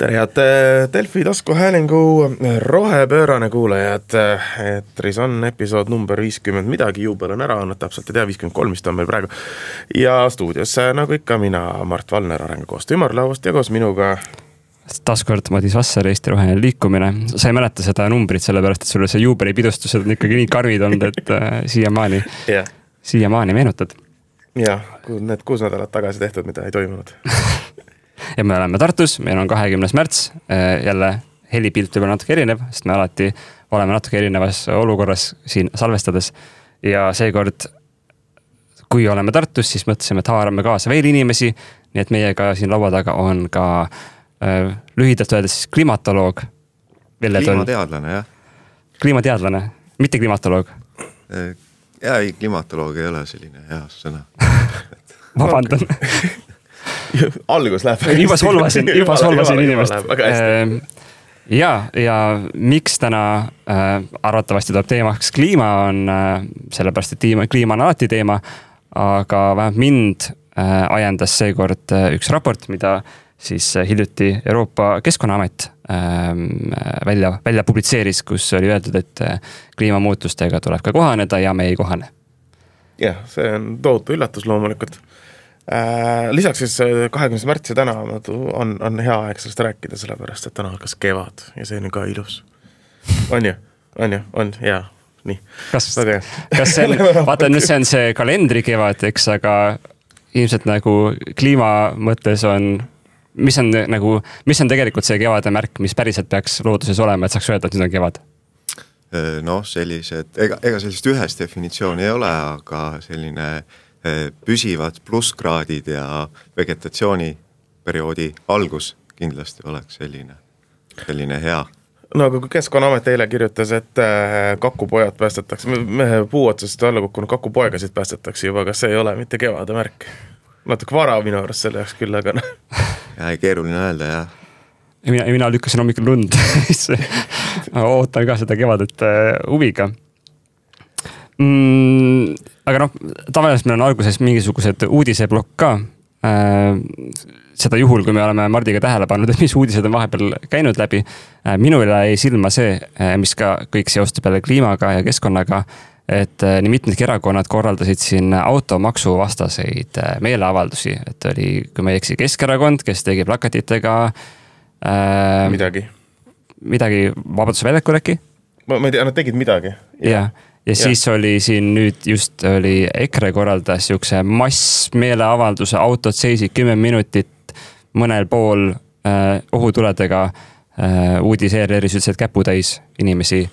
tere head Delfi taskuhäälingu rohepöörane kuulajad. Eetris on episood number 50 midagi, juubel on ära, on täpselt ei tea, 53 vist on meil praegu. Ja stuudios nagu ikka mina, Mart Valner, arengukoostöö Ümarlaust ja koos minuga taaskord Madis Vasser, Eesti Roheline Liikumine. Sa ei mäleta seda numbrit, sellepärast, et sulle see juubelipidustused on ikkagi nii karmid olnud, et siiamaani meenutad. Jah, need 6 nädalat tagasi tehtud, mida ei toimunud. Ja me oleme Tartus, meil on 20. märts, jälle helipilt võib-olla natuke erinev, sest me alati oleme natuke erinevas olukorras siin salvestades. Ja seekord, kui oleme Tartus, siis mõtlesime, et haarame kaasa veel inimesi, nii et meiega siin laua taga on ka lühidalt öeldes klimatoloog. Kliimateadlane, jah. Kliimateadlane, mitte klimatoloog. Ja ei, klimatoloog ei ole selline hea sõna. Vabandan. Algus läheb. Juba solvasin inimest. Ja miks täna arvatavasti tuleb teemaks kliima on, sellepärast, et kliima on alati teema, aga vähemalt mind ajendas seekord üks raport, mida siis hiljuti Euroopa Keskkonnaamet välja publitseeris, kus oli öeldud, et kliimamuutustega tuleb ka kohaneda ja me ei kohane. Jah, see on tohutu üllatus loomulikult. Lisaks siis 20. märtsi täna on hea aeg sellest rääkida, sellepärast, et täna hakkas kevad ja see on ka ilus. On ju, jaa, nii. Kas see on, vaata nüüd see on see kalendri kevad, eks, aga ilmselt nagu kliima mõttes on, mis on tegelikult see kevade märk, mis päriselt peaks looduses olema, et saaks öelda, et nüüd on kevad? Sellised, ega sellist ühest definitsiooni ei ole, aga selline püsivad plusskraadid ja vegetatsiooniperioodi algus kindlasti oleks selline hea. No aga kui Keskkonnaamet eile kirjutas, et kakupojad päästetakse, puu otsast alla kukkunud kakupoegasid päästetakse juba, kas see ei ole mitte kevade märk? Natuke vara minu arust selle jaoks küll, aga keeruline öelda, jah. Mina lükkasin hommikul lund. Ootan ka seda kevadet huviga. Aga tavaliselt meil on alguses mingisugused uudiseblokk ka. Seda juhul, kui me oleme Mardiga tähele pannud, et mis uudised on vahepeal käinud läbi. Minule ei silma see, mis ka kõik seostub jälle kliimaga ja keskkonnaga, et nii mitmedki erakonnad korraldasid siin automaksu vastaseid meeleavaldusi. Et oli, kui ma ei eksi, Keskerakond, kes tegi plakatitega midagi Vabaduse väljakul äkki? Ma ei tea, nad tegid midagi. Ja siis oli siin nüüd just oli EKRE korraldas jukse massmeeleavalduse, autod seisid 10 minutit mõnel pool ohutuledega uudis ERR-is ütles, et käputäis inimesi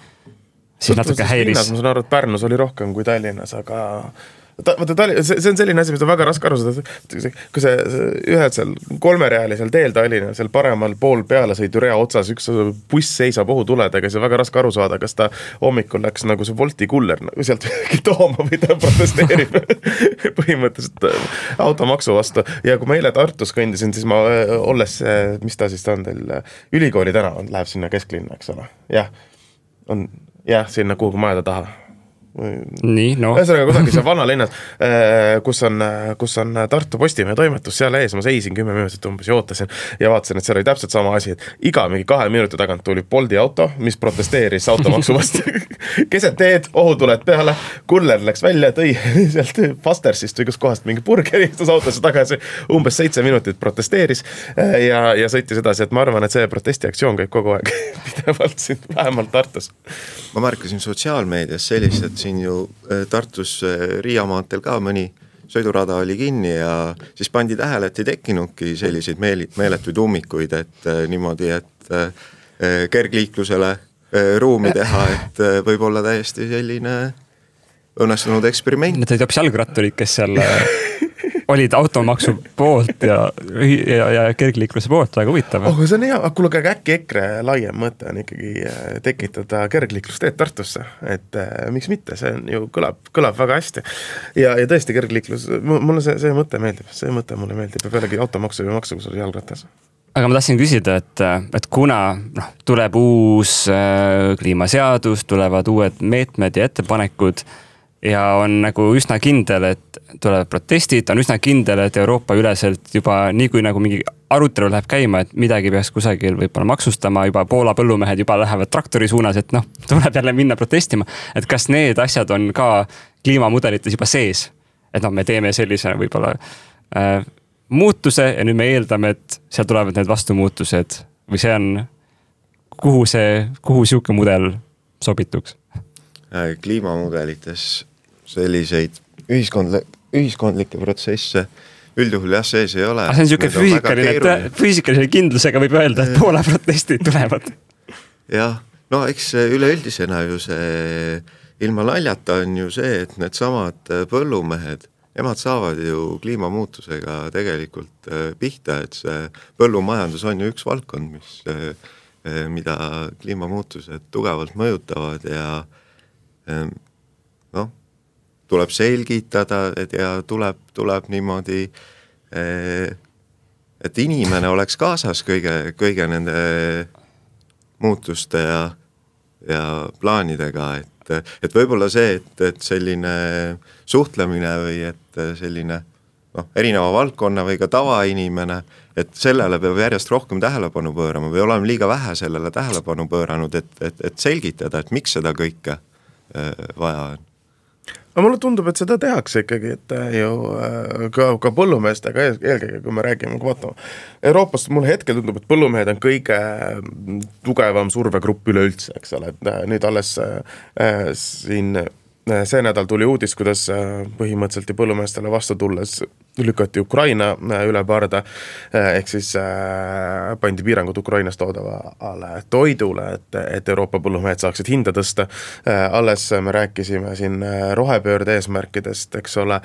siis natuke häiris. Ma saan aru, et Pärnus oli rohkem kui Tallinnas, aga see on selline asi, mis on väga raske aru saada, kui see ühed seal 3-realisel teel Tallinna, seal paremal pool pealesõidurea otsas üks buss seisab ohutuledega, see on väga raske aru saada, kas ta hommikul läks nagu see Wolti kuller sealt tooma või ta protesteerib põhimõtteliselt automaksu vastu. Ja kui ma eile Tartus kõndisin, siis ma olles, mis ta siis on teil, ülikooli täna läheb sinna kesklinna, eks ole. Jah, sinna kuhugi majade taha. Nii, Ühesõnaga kusagil seal vanalinnas, kus on Tartu Postimehe toimetus, seal ees ma seisin 10 minutit umbes ja ootasin ja vaatasin, et seal oli täpselt sama asi, et iga mingi 2 minuti tagant tuli Bolti auto, mis protesteeris automaksu vastu. Keset teed, ohutuled peale, kuller läks välja, tõi sealt Fastersist või kus kohast mingi burgeri istus autosse tagasi, umbes 7 minutit protesteeris ja sõitis edasi, et ma arvan, et see protestiaktsioon käib kogu aeg pidevalt siin, vähemalt Tartus. Ma märkasin sotsiaalmeedias sellist, et siin ju Tartus Riiamaantel ka mõni sõidurada oli kinni ja siis pandi tähele, et ei tekkinudki selliseid meeletuid ummikuid, et niimoodi, et kergliiklusele ruumi teha, et võib olla täiesti selline õnnestunud eksperiment. Need olid hoopis jalgratturid, kes seal olid automaksu poolt ja kergliikluse poolt, väga huvitav. See on hea, kuule, äkki EKRE laiem mõte on ikkagi tekitada kergliiklusteed Tartusse, et miks mitte, see on ju kõlab väga hästi. Ja tõesti kergliiklus, mulle see mõte meeldib, mulle meeldib ja pealegi automaksu või maksu, kus oli jalgratas. Aga ma tahtsin küsida, et kuna tuleb uus kliimaseadus, tulevad uued meetmed ja ettepanekud, ja on nagu üsna kindel, et tulevad protestid, on üsna kindel, et Euroopa üleselt juba nii kui nagu mingi arutelu läheb käima, et midagi peaks kusagil võib-olla maksustama, juba Poola põllumehed juba lähevad traktori suunas, et noh, tuleb jälle minna protestima. Et kas need asjad on ka kliimamudelites juba sees? Et noh, me teeme sellise võib-olla muutuse ja nüüd me eeldame, et seal tulevad need vastumuutused või see on, kuhu siuke mudel sobituks? Kliimamudelites selliseid ühiskondlikke protsesse üldjuhul jah sees ei ole. See on siuke füüsikaline kindlusega võib öelda, et Poola protestid tulevad. Jah, no eks üleüldisena ju see ilma naljata on ju see, et need samad põllumehed, nemad saavad ju kliimamuutusega tegelikult pihta, et see põllumajandus on ju üks valdkond, mida kliimamuutused tugevalt mõjutavad ja noh, tuleb selgitada ja tuleb niimoodi, et inimene oleks kaasas kõige nende muutuste ja plaanidega, et võib-olla see, et selline suhtlemine või et selline erineva valdkonna või ka tavainimene, et sellele peab järjest rohkem tähelepanu pöörama või oleme liiga vähe sellele tähelepanu pööranud, et selgitada, et miks seda kõike vaja on. Aga mulle tundub, et seda tehakse ikkagi, et ju ka põllumeestega eelkõige, kui me räägime, kui vaatame. Euroopas mulle hetkel tundub, et põllumehed on kõige tugevam survegrupp üleüldse, eks ole. Nüüd alles siin see nädal tuli uudis, kuidas põhimõtteliselt põllumeestele vastu tulles lükati Ukraina üle parda, ehk siis pandi piirangud Ukrainast toodavale toidule, et Euroopa põllumehed saaksid hinda tõsta. Alles me rääkisime siin rohepöörde eesmärkidest, eks ole,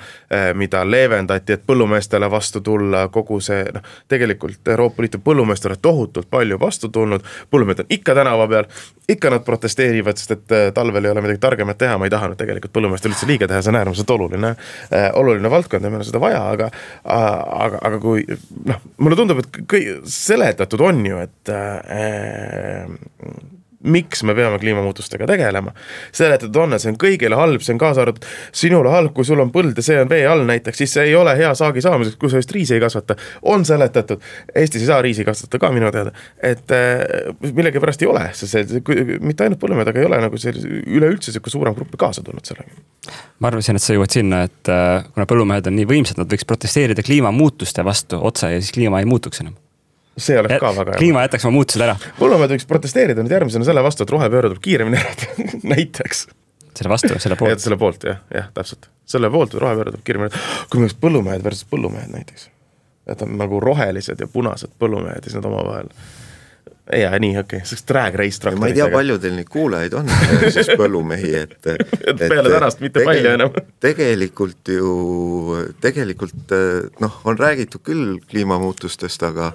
mida leevendati, et põllumeestele vastu tulla kogu see, tegelikult Euroopa Liidu põllumeestele tohutult palju vastu tulnud, põllumehed on ikka tänava peal, ikka nad protesteerivad, sest et talvel ei ole midagi targemat teha, ma ei taha nüüd tegelikult põllumeestel üldse liiga teha, see on äärmiselt oluline valdkond ja meil on seda vaja, aga kui mulle tundub, et seletatud on ju, et miks me peame kliimamuutustega tegelema. Seletatud on, et see on kõigile halb, see on kaasa arvatud sinule halb, kui sul on põld ja see on vee all näiteks, siis see ei ole hea saagi saamiseks, kui sa just riisi ei kasvata. On seletatud, Eestis ei saa riisi kasvatada ka minu teada, et millegi pärast ei ole, mitte ainult põllumehed, aga ei ole nagu üleüldse suurem gruppi kaasa tulnud sellega. Ma arvasin, et sa jõuad sinna, et kuna põllumehed on nii võimsad, nad võiks protesteerida kliimamuutuste vastu otsa ja siis kliima ei muutuks enam. See oleks ka väga hea. Kliima jätaks ma muutused ära. Põllumehed võiks protesteerida nüüd järgmisena selle vastu, et rohepööre tuleb kiiremini ära näiteks. Selle vastu, selle poolt. Selle poolt, jah, täpselt. Selle poolt, et rohepööre tuleb kiiremini. Kui me oleks põllumehed versus põllumehed näiteks. Et on nagu rohelised ja punased põllumehed ja siis nad oma vahel. Ja nii, okei. See oleks drag race traktoritega. Ma ei tea, palju teil neid kuulajaid on, siis põllumehi, et peale tänast mitte palju enam. Tegelikult on räägitud küll kliimamuutustest, aga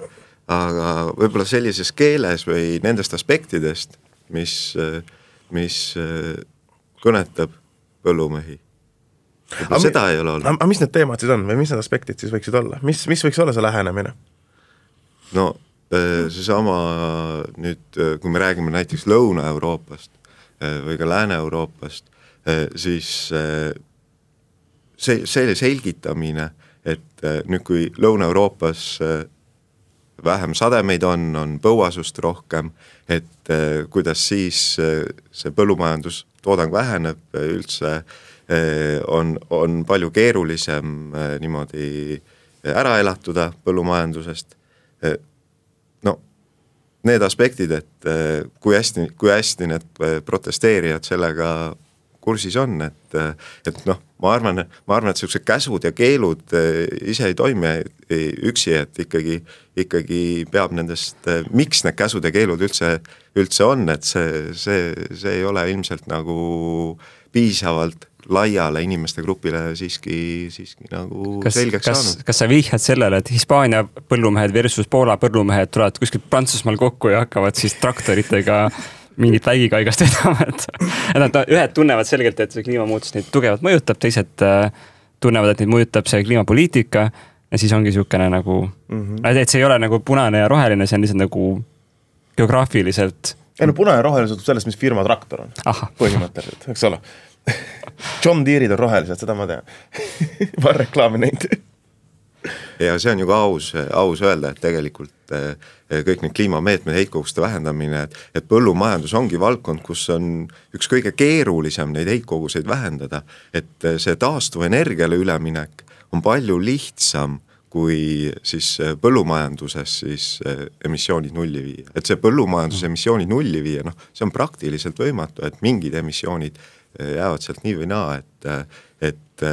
võib-olla sellises keeles või nendest aspektidest, mis kõnetab põllumehi. Seda ei ole olnud. Aga mis need teemad siis on või mis need aspektid siis võiksid olla? Mis võiks olla see lähenemine? No seesama nüüd, kui me räägime näiteks Lõuna-Euroopast või ka Lääne-Euroopast, siis see selgitamine, et nüüd kui Lõuna-Euroopas vähem sademeid on põuasust rohkem, et kuidas siis see põllumajandustoodang väheneb üldse, on palju keerulisem niimoodi ära elatuda põllumajandusest. No, need aspektid, et kui hästi need protesteerijad sellega kursis on, et ma arvan, et sellised käsud ja keelud ise ei toimi üksi, et ikkagi peab nendest, miks need käsud ja keelud üldse on, et see ei ole ilmselt nagu piisavalt laiale inimeste grupile siiski nagu selgeks saanud. Kas sa vihjad sellele, et Hispaania põllumehed versus Poola põllumehed tulevad kuskil Prantsusmaal kokku ja hakkavad siis traktoritega mingit vägikaigast vedama, et ühed tunnevad selgelt, et see kliimamuutus neid tugevalt mõjutab, teised tunnevad, et neid mõjutab see kliimapoliitika ja siis ongi niisugune nagu, et see ei ole nagu punane ja roheline, see on lihtsalt nagu geograafiliselt. Punane ja roheline sõltub sellest, mis firma traktor on. Põhimõtteliselt, eks ole. John Deere'id on rohelised, seda ma tean. Ma reklaami näinud. ja see on ju ka aus öelda, et tegelikult kõik need kliimameetmed, heitkoguste vähendamine, et põllumajandus ongi valdkond, kus on üks kõige keerulisem neid heitkoguseid vähendada, et see taastuvenergiale üleminek on palju lihtsam kui siis põllumajanduses siis emissioonid nulli viia. Et see põllumajanduse emissioonid nulli viia, see on praktiliselt võimatu, et mingid emissioonid jäävad sealt nii või naa, et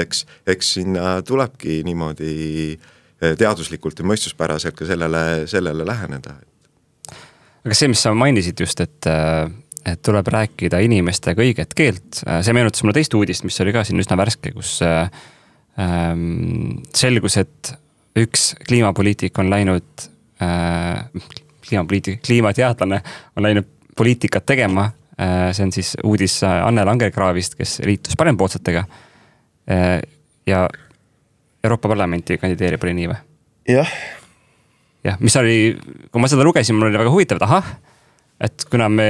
eks sinna tulebki niimoodi teaduslikult ja mõistuspäraselt ka sellele läheneda. Aga see, mis sa mainisid just, et tuleb rääkida inimestega õiget keelt, see meenutas mulle teist uudist, mis oli ka siin üsna värske, kus selgus, et üks kliimapoliitik on läinud, kliimateadlane on läinud poliitikat tegema, see on siis uudis Anne Langerkraavist, kes liitus parempoolsetega ja Euroopa Parlamenti kandideerib, oli nii või? Jah, mis oli, kui ma seda lugesin, mul oli väga huvitav, et ahah, et kuna me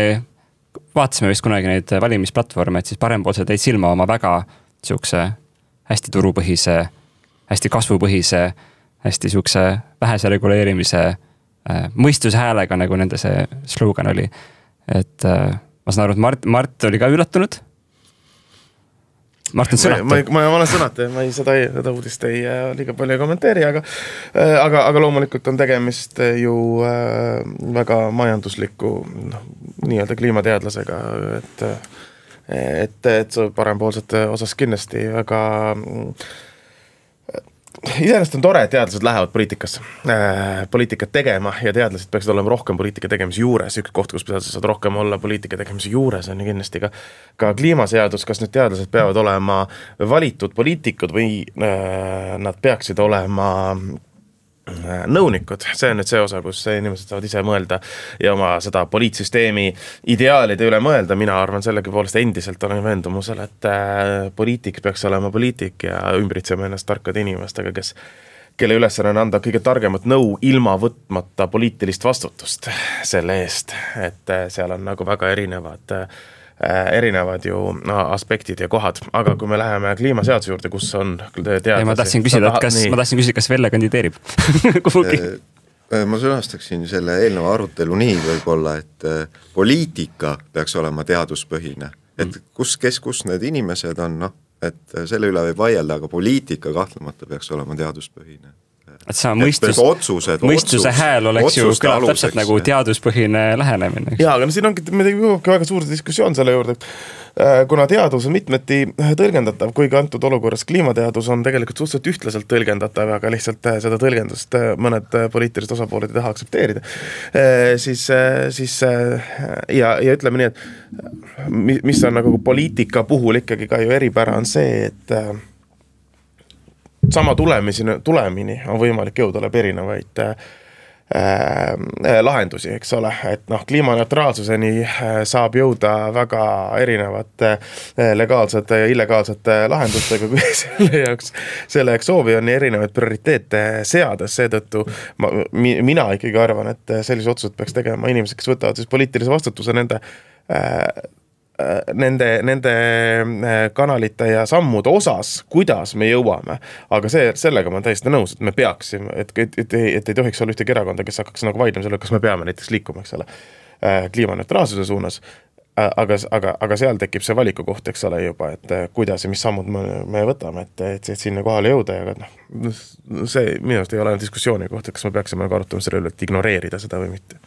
vaatasime vist kunagi neid valimisplatvorme, et siis parempoolsed jäid silma oma väga siukse hästi turupõhise, hästi kasvupõhise, hästi siukse vähese reguleerimise mõistuse häälega, nagu nende see slogan oli. Et ma saan aru, et Mart oli ka üllatunud. Mart on sõnata. Ma olen sõnata, ma seda uudist ei liiga palju kommenteeri, aga loomulikult on tegemist ju väga majandusliku nii-öelda kliimateadlasega, et parempoolsete osas kindlasti väga iseenesest on tore, et teadlased lähevad poliitikat tegema ja teadlased peaksid olema rohkem poliitika tegemise juures. Üks koht, kus teadlased saad rohkem olla poliitika tegemise juures on ju kindlasti ka kliimaseadus, kas need teadlased peavad olema valitud poliitikud või nad peaksid olema nõunikud, see on nüüd see osa, kus inimesed saavad ise mõelda ja oma seda poliitsüsteemi ideaalide üle mõelda. Mina arvan sellegi poolest endiselt olen veendumusel, et poliitik peaks olema poliitik ja ümbritsema ennast tarkade inimestega, kelle ülesanne on anda kõige targemat nõu ilma võtmata poliitilist vastutust selle eest, et seal on nagu väga erinevad ju aspektid ja kohad, aga kui me läheme kliimaseaduse juurde, kus on teadlasi... Ma tahtsin küsida, kas Velle kandideerib kuhugi? Ma sõnastaksin selle eelneva arutelu nii võib-olla, et poliitika peaks olema teaduspõhine, et kus need inimesed on, et selle üle võib vaielda, aga poliitika kahtlemata peaks olema teaduspõhine. Et see mõistuse hääl oleks ju kõlab täpselt nagu teaduspõhine lähenemine. Jaa, aga siin ongi väga suur diskussioon selle juurde, kuna teadus on mitmeti tõlgendatav, kuigi antud olukorras kliimateadus on tegelikult suhteliselt ühtlaselt tõlgendatav, aga lihtsalt seda tõlgendust mõned poliitilised osapooled ei taha aksepteerida. Ja ütleme nii, et mis on nagu poliitika puhul ikkagi ka ju eripära on see, et sama tulemini on võimalik jõuda läbi erinevaid lahendusi, eks ole, et kliimaneutraalsuseni saab jõuda väga erinevate legaalsete ja illegaalsete lahendustega, kui selle jaoks soovi on erinevaid prioriteete seades, seetõttu mina ikkagi arvan, et sellise otsused peaks tegema inimesed, kes võtavad siis poliitilise vastutuse nende kanalite ja sammude osas, kuidas me jõuame. Aga sellega ma täiesti nõus, et me peaksime, et ei tohiks olla ühtegi erakonda, kes hakkaks nagu vaidlema selle, kas me peame näiteks liikuma, eks ole, kliimaneutraalsuse suunas. Aga seal tekib see valiku koht, eks ole juba, et kuidas ja mis sammud me võtame, et sinna kohale jõuda. Ja see minu arust ei ole diskussiooni koht, et kas me peaksime arutama selle üle, et ignoreerida seda või mitte.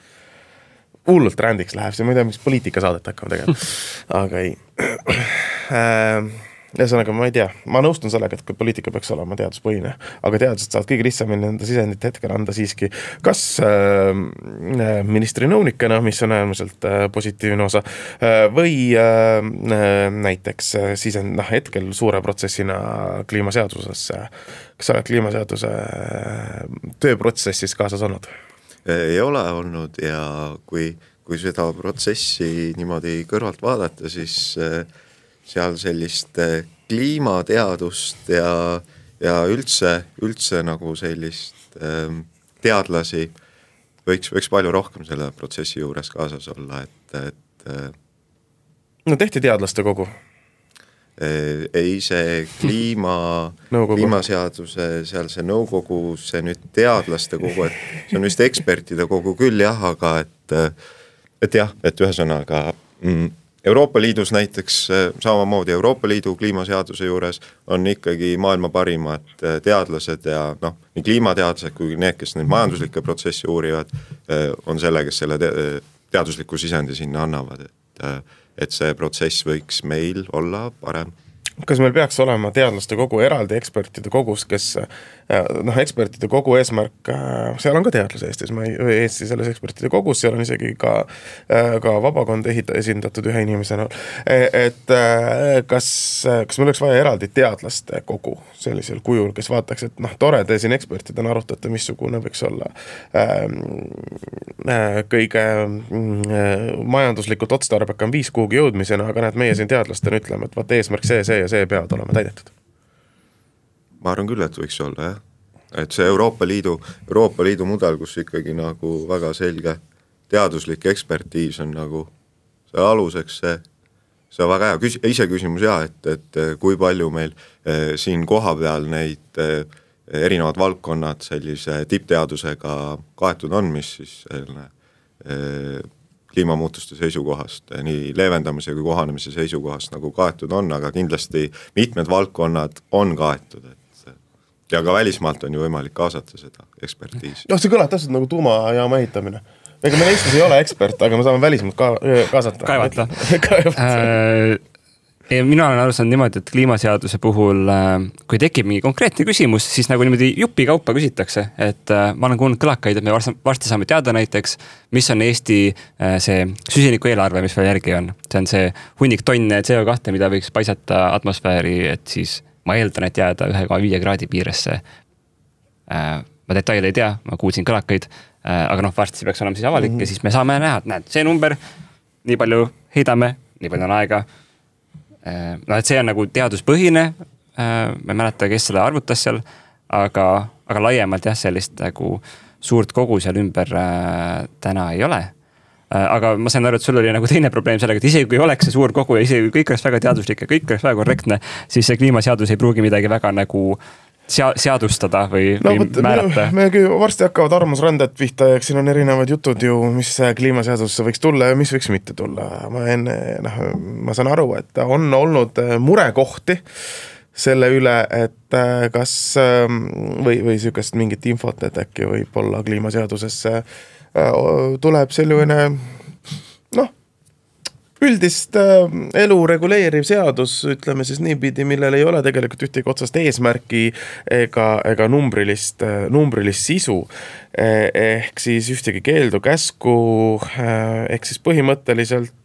Hullult rändiks läheb, see ma ei tea, miks poliitikasaadet hakkame tegema, aga ei. Ühesõnaga, ma ei tea, ma nõustun sellega, et poliitika peaks olema teaduspõhine, aga teadlased saavad kõige lihtsamini enda sisendit hetkel anda siiski kas ministri nõunikena, mis on äärmiselt positiivne osa, või näiteks hetkel suure protsessina kliimaseadusesse. Kas sa oled kliimaseaduse tööprotsessis kaasas olnud? Ei ole olnud ja kui seda protsessi niimoodi kõrvalt vaadata, siis seal sellist kliimateadust ja üldse nagu sellist teadlasi võiks palju rohkem selle protsessi juures kaasas olla, et No tehti teadlaste kogu? ei see kliimaseaduse seal see nõukogu, see nüüd teadlaste kogu, et see on vist ekspertide kogu küll jah, aga et ühesõnaga Euroopa Liidus näiteks samamoodi Euroopa Liidu kliimaseaduse juures on ikkagi maailma parimad teadlased ja nii kliimateadlased kui need, kes neid majanduslikke protsessi uurivad, on selle, kes selle teadusliku sisendi sinna annavad, et see protsess võiks meil olla parem. Kas meil peaks olema teadlaste kogu eraldi ekspertide kogus, kes ekspertide kogu eesmärk, seal on ka teadlase Eesti selles ekspertide kogus, seal on isegi ka vabakond esindatud ühe inimesena, et kas meil oleks vaja eraldi teadlaste kogu sellisel kujul, kes vaataks, et tore, te siin ekspertidena arutate, missugune võiks olla kõige majanduslikult otstarbekam viis kuhugi jõudmisena, aga meie siin teadlastena ütleme, et vaat eesmärk see ja see peavad olema täidetud. Ma arvan küll, et võiks olla, jah. Et see Euroopa Liidu mudel, kus ikkagi nagu väga selge teaduslik ekspertiis on nagu see aluseks, see on väga hea. Ise küsimus et kui palju meil siin koha peal neid erinevad valdkonnad sellise tippteadusega kaetud on, mis siis kliimamuutuste seisukohast, nii leevendamise kui kohanemise seisukohast nagu kaetud on, aga kindlasti mitmed valdkonnad on kaetud, ja ka välismaalt on ju võimalik kaasata seda ekspertiisi. See kõlab täpselt nagu tuumajaama ehitamine. Ega meil Eestis ei ole ekspert, aga me saame välismaalt kaasata. Kaevata. Mina olen aru saanud niimoodi, et kliimaseaduse puhul, kui tekib mingi konkreetne küsimus, siis nagu niimoodi jupi kaupa küsitakse, et ma olen kuulnud kõlakaid, et me varsti saame teada näiteks, mis on Eesti see süsiniku eelarve, mis veel järgi on. See on see hunnik tonne CO2, mida võiks paisata atmosfääri, et siis ma eeldan, et jääda 1,5 kraadi piiresse. Ma detaile ei tea, ma kuulsin kõlakaid, aga varsti peaks olema siis avalik ja siis me saame näha, et näed, see number, nii palju heidame, nii palju on aega. Et see on nagu teaduspõhine, ma ei mäleta, kes seda arvutas seal, aga laiemalt sellist nagu suurt kogu seal ümber täna ei ole. Aga ma sain aru, et sul oli nagu teine probleem sellega, et isegi kui oleks see suur kogu ja isegi kui kõik oleks väga teaduslik ja kõik oleks väga korrektne, siis see kliimaseadus ei pruugi midagi väga nagu seadustada või määrata. Me varsti hakkavad arvamusranded pihta, ja siin on erinevad jutud ju, mis kliimaseadusse võiks tulla ja mis võiks mitte tulla. Ma saan aru, et on olnud murekohti selle üle, et kas või sükest mingit infot, et äkki võib olla kliimaseadusesse tuleb selline üldist elu reguleeriv seadus, ütleme siis niipidi, millel ei ole tegelikult ühtegi otsast eesmärki ega numbrilist sisu, ehk siis ühtegi keeldu, käsku, ehk siis põhimõtteliselt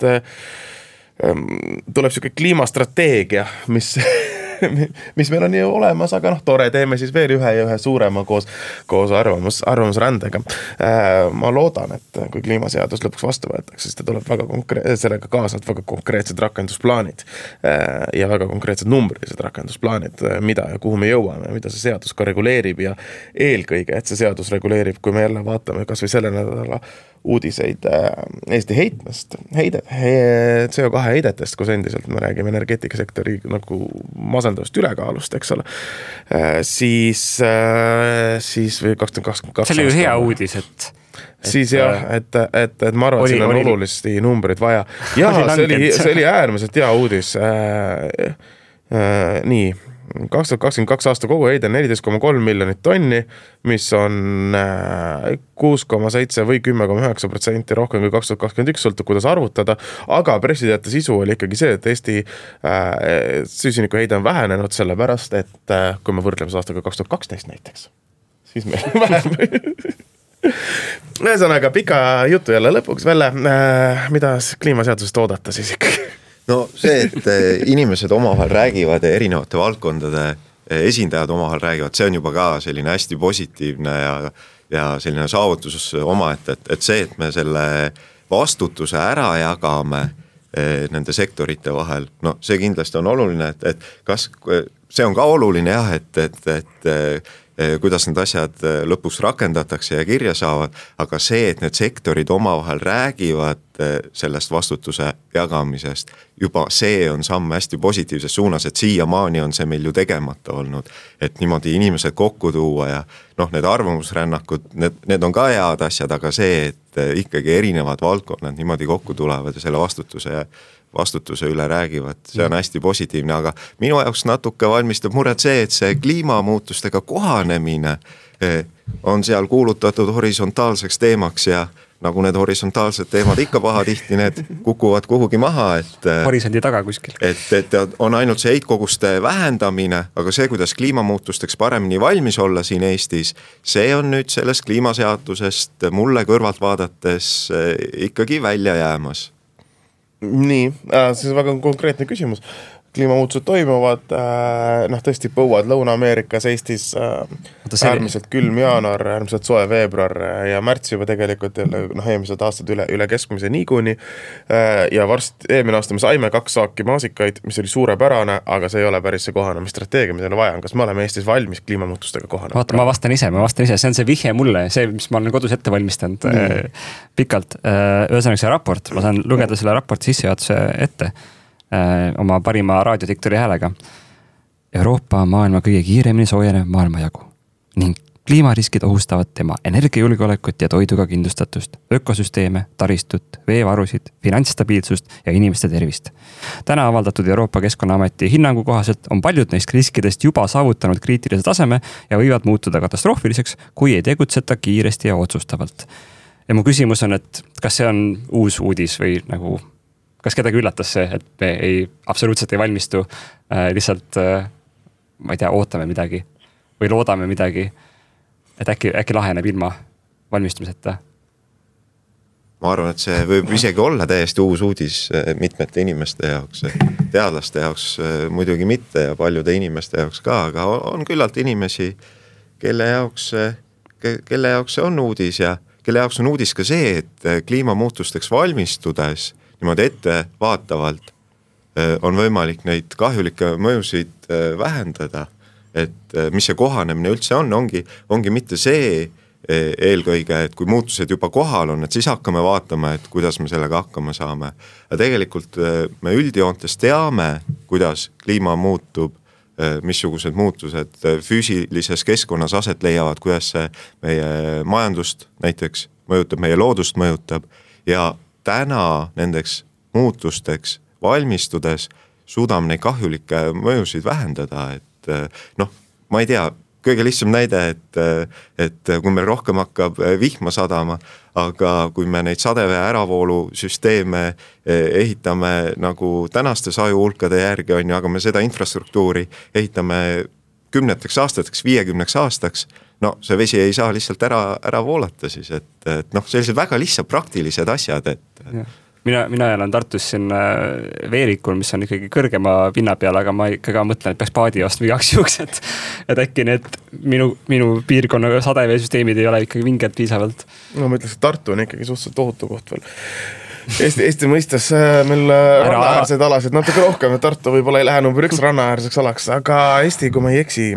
tuleb selline kliimastrateegia, mis meil on ju olemas, aga tore, teeme siis veel ühe suurema koos arvamusrändega. Ma loodan, et kui kliimaseadus lõpuks vastu võetakse, siis ta tuleb sellega kaasavad väga konkreetsed rakendusplaanid ja väga konkreetsed numbrilised rakendusplaanid, mida ja kuhu me jõuame, mida see seadus ka reguleerib ja eelkõige, et see seadus reguleerib, kui me jälle vaatame kas või selle nädala uudiseid Eesti CO2 heidetest, kus endiselt me räägime energeetikasektori nagu masendavast ülekaalust, eks ole, siis või 2022 see oli ju hea uudis, et siis jah, et ma arvan, et siin on olulisti numbrid vaja. Ja see oli äärmiselt hea uudis. Nii, 2022 aasta kogu heide 14,3 miljonit tonni, mis on 6,7 või 10,9% rohkem kui 2021, sõltub kuidas arvutada, aga pressiteate sisu oli ikkagi see, et Eesti süsiniku heide on vähenenud sellepärast, et kui me võrdleme aastaga 2012 näiteks, siis meil on vähem. Ühesõnaga pika jutu jälle lõpuks välja, mida kliimaseadusest oodata siis ikkagi? No see, et inimesed omavahel räägivad ja erinevate valdkondade esindajad omavahel räägivad, see on juba ka selline hästi positiivne ja selline saavutus oma, et see, et me selle vastutuse ära jagame nende sektorite vahel, see kindlasti on oluline, et kas see on ka oluline jah, et kuidas need asjad lõpuks rakendatakse ja kirja saavad, aga see, et need sektorid omavahel räägivad sellest vastutuse jagamisest, juba see on samm hästi positiivses suunas, et siiamaani on see meil ju tegemata olnud, et niimoodi inimesed kokku tuua ja need arvamusrännakud, need on ka head asjad, aga see, et ikkagi erinevad valdkonnad niimoodi kokku tulevad ja selle vastutuse üle räägivad, see on hästi positiivne, aga minu jaoks natuke valmistab muret see, et see kliimamuutustega kohanemine on seal kuulutatud horisontaalseks teemaks ja nagu need horisontaalsed teemad ikka pahatihti, need kukuvad kuhugi maha, et horisondi taga kuskil. Et on ainult see heitkoguste vähendamine, aga see, kuidas kliimamuutusteks paremini valmis olla siin Eestis, see on nüüd sellest kliimaseadusest mulle kõrvalt vaadates ikkagi välja jäämas. Nii, see on väga konkreetne küsimus. Kliimamuutused toimuvad, tõesti põuad Lõuna-Ameerikas, Eestis äärmiselt külm jaanuar, äärmiselt soe veebruar ja märts juba tegelikult eelmised aastad üle keskmise niikuni ja eelmine aasta me saime 2 saaki maasikaid, mis oli suurepärane, aga see ei ole päris see kohanemisstrateegia, mida vaja on. Kas me oleme Eestis valmis kliimamuutustega kohanema? Vaata, ma vastan ise, see on see vihje mulle, see, mis ma olen kodus ette valmistanud pikalt. Ühesõnaga see raport, ma saan lugeda selle raporti sissejuhatuse ette oma parima raadiodiktori häälega. Euroopa on maailma kõige kiiremini soojenev maailmajagu ning kliimariskid ohustavad tema energiajulgeolekut ja toiduga kindlustatust, ökosüsteeme, taristut, veevarusid, finantsstabiilsust ja inimeste tervist. Täna avaldatud Euroopa Keskkonnaameti hinnangu kohaselt on paljud neist riskidest juba saavutanud kriitilise taseme ja võivad muutuda katastroofiliseks, kui ei tegutseta kiiresti ja otsustavalt. Ja mu küsimus on, et kas see on uus uudis või nagu kas kedagi üllatas see, et me absoluutselt ei valmistu, lihtsalt, ma ei tea, ootame midagi või loodame midagi, et äkki laheneb ilma valmistumiseta? Ma arvan, et see võib isegi olla täiesti uus uudis mitmete inimeste jaoks, teadlaste jaoks muidugi mitte ja paljude inimeste jaoks ka, aga on küllalt inimesi, kelle jaoks see on uudis ja kelle jaoks on uudis ka see, et kliimamuutusteks valmistudes niimoodi ette vaatavalt on võimalik neid kahjulikke mõjusid vähendada, et mis see kohanemine üldse ongi mitte see eelkõige, et kui muutused juba kohal on, et siis hakkame vaatama, et kuidas me sellega hakkama saame. Ja tegelikult me üldjoontes teame, kuidas kliima muutub, missugused muutused füüsilises keskkonnas aset leiavad, kuidas see meie majandust näiteks mõjutab, meie loodust mõjutab ja täna nendeks muutusteks valmistudes suudame neid kahjulikke mõjusid vähendada, et ma ei tea, kõige lihtsam näide, et kui meil rohkem hakkab vihma sadama, aga kui me neid sadevee äravoolusüsteeme ehitame nagu tänaste sajuhulkade järgi on, aga me seda infrastruktuuri ehitame 10 aastateks, 50 aastaks, see vesi ei saa lihtsalt ära voolata siis, et sellised väga lihtsad praktilised asjad, et Mina elan Tartus siin Veerikul, mis on ikkagi kõrgema pinna peal, aga ma ikkagi mõtlen, et peaks paadi ostma igaks juhuks, et äkki need minu piirkonna sadeveesüsteemid ei ole ikkagi vinged piisavalt. Ma ütleks, et Tartu on ikkagi suhteliselt ohutu koht veel. Eesti mõistes meil rannaäärseid alasid natuke rohkem, et Tartu võib-olla ei lähe number 1 rannaäärseks alaks, aga Eesti, kui ma ei eksi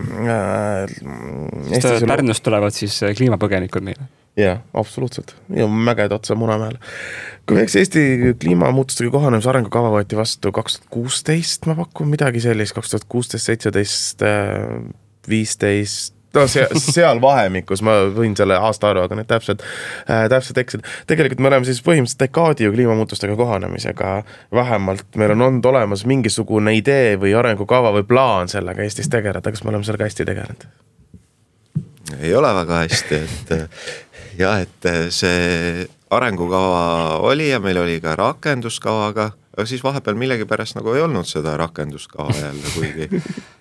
Pärnust tulevad siis kliimapõgenikud meile. Jaa, absoluutselt. Ja mäged otsa Munamäele. Kui eks Eesti kliimamuutustega kohanemise arengukava võeti vastu 2016, ma pakun midagi sellist, 2016, 17, 15, seal vahemikus, ma võin selle aasta aru, aga need täpselt eksid. Tegelikult me oleme siis põhimõtteliselt dekaadi ju kliimamuutustega kohanemisega vähemalt. Meil on olnud olemas mingisugune idee või arengukava või plaan sellega Eestis tegeleda, kas me oleme sellega hästi tegelenud? Ei ole väga hästi, et see arengukava oli ja meil oli ka rakenduskavaga, aga siis vahepeal millegi pärast nagu ei olnud seda rakenduskava jälle,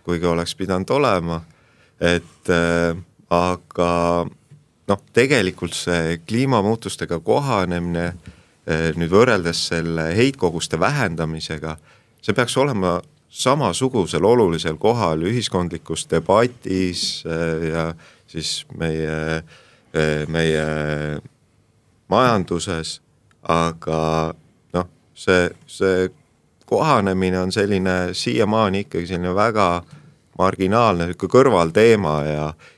kuigi oleks pidanud olema. Aga tegelikult see kliimamuutustega kohanemine nüüd võrreldes selle heitkoguste vähendamisega, see peaks olema samasugusel olulisel kohal ühiskondlikus debatis ja siis meie majanduses, aga see kohanemine on selline siiamaani ikkagi selline väga marginaalne kõrvalteema